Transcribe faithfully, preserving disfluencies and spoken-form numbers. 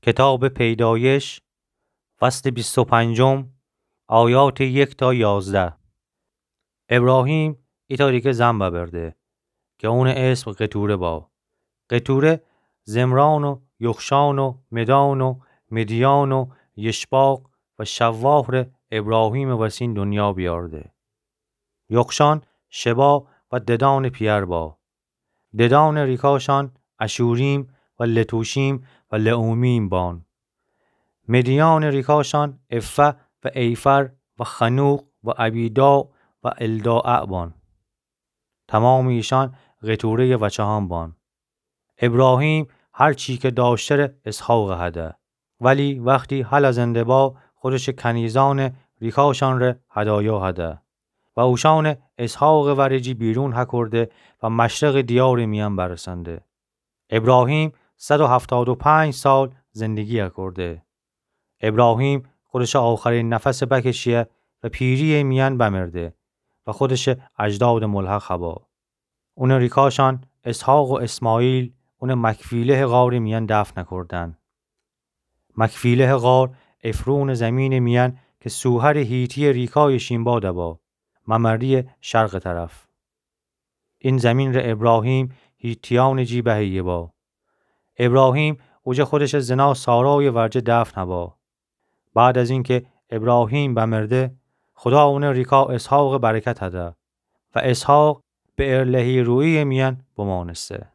کتابٚ پیدایش، فصلٚ بیست و پنجم، آیاتٚ یک تا یازده. ابراهیم ایتأ ریکه زن ببرده که اونٚ اسم قتوره با. قتوره زمران و یخشان و مدان و مدیان و یشباق و شواهٚ ابراهیمٚ وسین دنیا بیارده. یخشان شبا و ددانٚ پیأر با. ددانٚ ریکاشان اشوریم و لتوشیم و لعومیم بان. مدیانٚ ریکاشان افه و ایفر و خنوق و ابیداع و الداعه بان. تمامٚ ایشان قتوره‌یٚ وچه‌هان بان. ابراهیم هر چی که داشته ره اسحاقٚ هده. ولی وختی هلأ زنده با، خودشٚ کنیزأنٚ ریکاشان ره هدایا هده و اوشأنٚ اسحاقٚ ورجی بیرون هکرده و مشرقٚ دیارٚ میأن برسنده. ابراهیم صد و هفتاد و پنج سال زندگی هکرده. ابراهیم خودشٚ آخرین نفس بکشیه و پیری‌یٚ میأن بمرده و خودشٚ اجدادٚ ملحق هبا. اونٚ ریکاشان اسحاق و اسماعیل اونٚ مکفیلهٚ غارٚ میأن دفن هکردن. مکفیلهٚ غار عفرونٚ زمینٚ میأن که سوحرٚ حیتیٚ ریکایٚ شین با دبا، ممره‌یٚ شرقٚ طرف. این زمین ره ابراهیم حیتیأنٚ جی بهیه با. ابراهیم اوجه خودشٚ زنا سارایٚ ورجه دفن هبا. بعد از اینکه ابراهیم بمرده، خدا اونٚ ریکا اسحاقٚ برکت هده و اسحاق به ارلهی‌رویی‌یٚ میأن بمانسته.